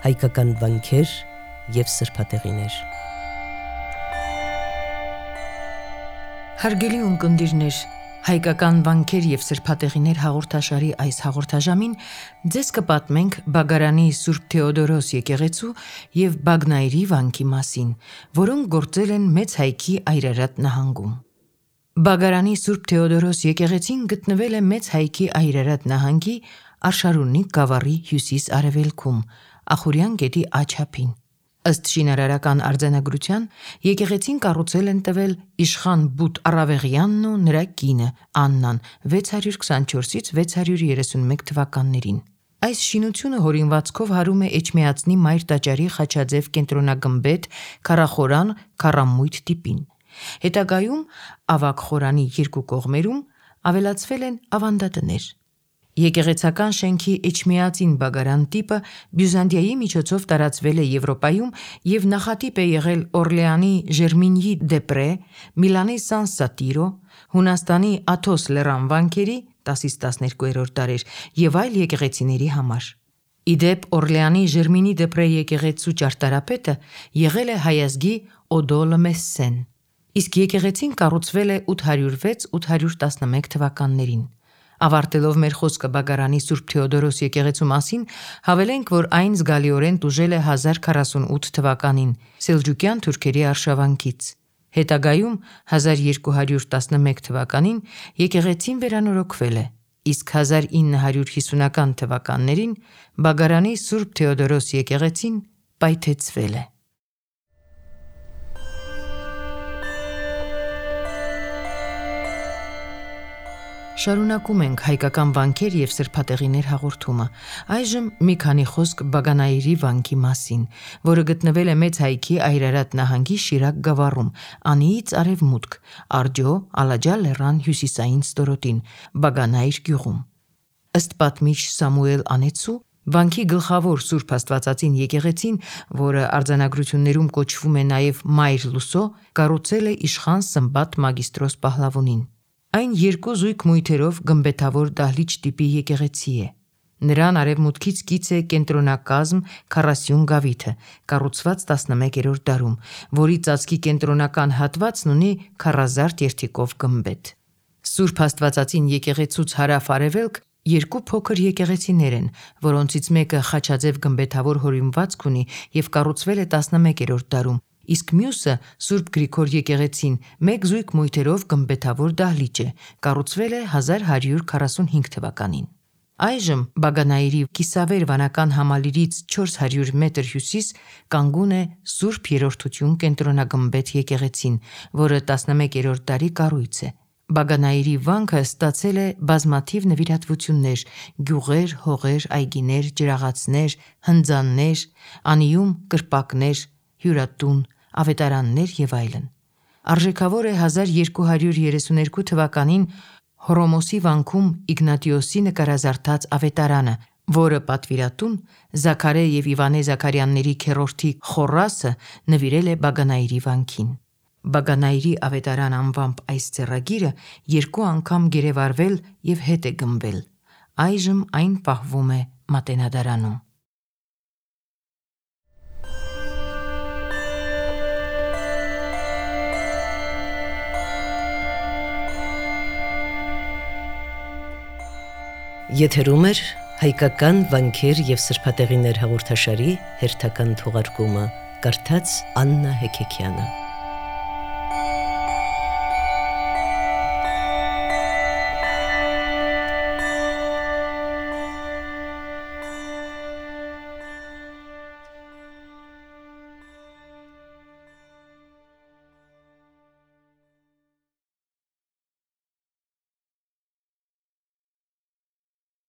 հայկական վանքեր և սրբատեղիներ։ Հարգելի ունկնդիրներ, հայկական վանքեր և սրբատեղիներ հաղորդաշարի այս հաղորդաժամին ձեզ կպատմենք Բագարանի Սուրբ Թեոդորոս եկեղեցու և Բագնայրի վանքի մասին, որոնք գործել են Մեծ Հայքի Այրարատ նահանգում։ Բագարանի Սուրբ Թեոդորոս եկեղեցին գտնվել է Մեծ Հայքի Այրարատ նահանգի Արշարունի գավառի հյուսիս-արևելքում, Ախուրյան գետի աջափին։ Ըստ շինարարական արձանագրության, եկեղեցին կառուցել են տվել իշխան Բութ Առավեղյանն ու նրա կինը Աննան 624-ից 631 թվականներին։ Այս շինությունը հորինվածքով հարում է Էջմիածնի Մայր տաճարի խաչաձև կենտրոնագմբեթ քառախորան քառամույթ տիպին։ Հետագայում ավագ խորանի երկու կողմերում ավելացվել են ավանդատներ։ Եկեղեցական շենքի էջմիածին բագարան տիպը Բյուզանդիայի միջոցով տարածվել է Եվրոպայում և նախատիպ է եղել Օրլեանի Ժերմինյի դեպրե, Միլանի Սան Սատիրո, Հունաստանի Աթոս լեռան վանքերի 10-12-րդ դարեր և այլ եկեղեցիների համար։ Ի դեպ, Օրլեանի Ժերմինի դեպրե եկեղեցու ճարտարապետը եղել է հայազգի Օդոլը Մեսսեն, իսկ եկեղեցին կառուցվել է 806-811 թվականներին։ Ավարտելով մեր խոսքը Բագարանի Սուրբ Թեոդորոս եկեղեցու մասին, հավելենք, որ այն զգալիորեն տուժել է 1048 թվականին սելջուկյան թուրքերի արշավանքից։ Հետագայում 1211 թվականին եկեղեցին վերանորոգվել է, իսկ 1950-ական թվականներին Բագարանի Սուրբ Թեոդորոս եկեղեցին պայթեցվել է։ Շարունակում ենք հայկական վանքեր և սրբատեղիներ հաղորդումը։ Այժմ մի քանի խոսք Բագանայրի վանքի մասին, որը գտնվել է Մեծ Հայքի Այրարատ նահանգի Շիրակ գավառում, Անիից արևմուտք, Աջո Ալաջա լեռան հյուսիսային ստորոտին, Բագանայր գյուղում։ Ըստ պատմիչ Սամուել Անեցու, վանքի գլխավոր Սուրբ Աստվածածին եկեղեցին, որը արձանագրություններում կոչվում է նաև Մայր Լուսո, կառուցել է իշխան Սմբատ Մագիստրոս Պահլավունին։ Այն երկու զույգ մույթերով գմբեթավոր դահլիճ տիպի եկեղեցի է։ Նրան արևմուտքից կից է կենտրոնակազմ քառասյուն գավիթը, կառուցված 11-րդ դարում, որի ծածկի կենտրոնական հատվածն ունի քառազարդ երթիկով գմբեթ։ Սուրբ Աստվածածին եկեղեցուց հարավ-արևելք երկու փոքր եկեղեցիներ են, որոնցից մեկը խաչաձև գմբեթավոր հորինվածք ունի և կառուցվել է 11-րդ դարում, իսկ մյուսը Սուրբ Գրիգոր եկեղեցին մեկ զույգ մույթերով գմբեթավոր դահլիճ է, կառուցվել է 1145 թվականին։ Այժմ Բագանայրի կիսավեր վանական համալիրից 400 մետր հյուսիս կանգուն է Սուրբ Երրորդություն կենտրոնագմբեթ եկեղեցին, որը 11-րդ դարի կառույց է։ Բագանայրի վանքը ստացել է բազմաթիվ նվիրատվություններ՝ գյուղեր, հողեր, այգիներ, ջրաղացներ, հնձաններ, անիում կրպակներ, հյուրատուն, ավետարաններ և այլն։ Արժեքավոր է 1232 թվականին Հռոմոսի վանքում Իգնատիոսի նկարազարդած ավետարանը, որը պատվիրատուն Զաքարե և Իվանե Զաքարյանների քեռորդի Խորասը նվիրել է Բագանայրի վանքին։ Բագանայրի ավետարան անվամբ այս ձեռագիրը երկու անգամ գերեվարվել և հետ է գնվել։ Այժմ այն պահվում է Մատենադարանում։ Եթերում է հայկական վանքեր և սրբատեղիներ հաղորդաշարի հերթական թողարկումը, կարդաց Աննա Հեքեքյանը։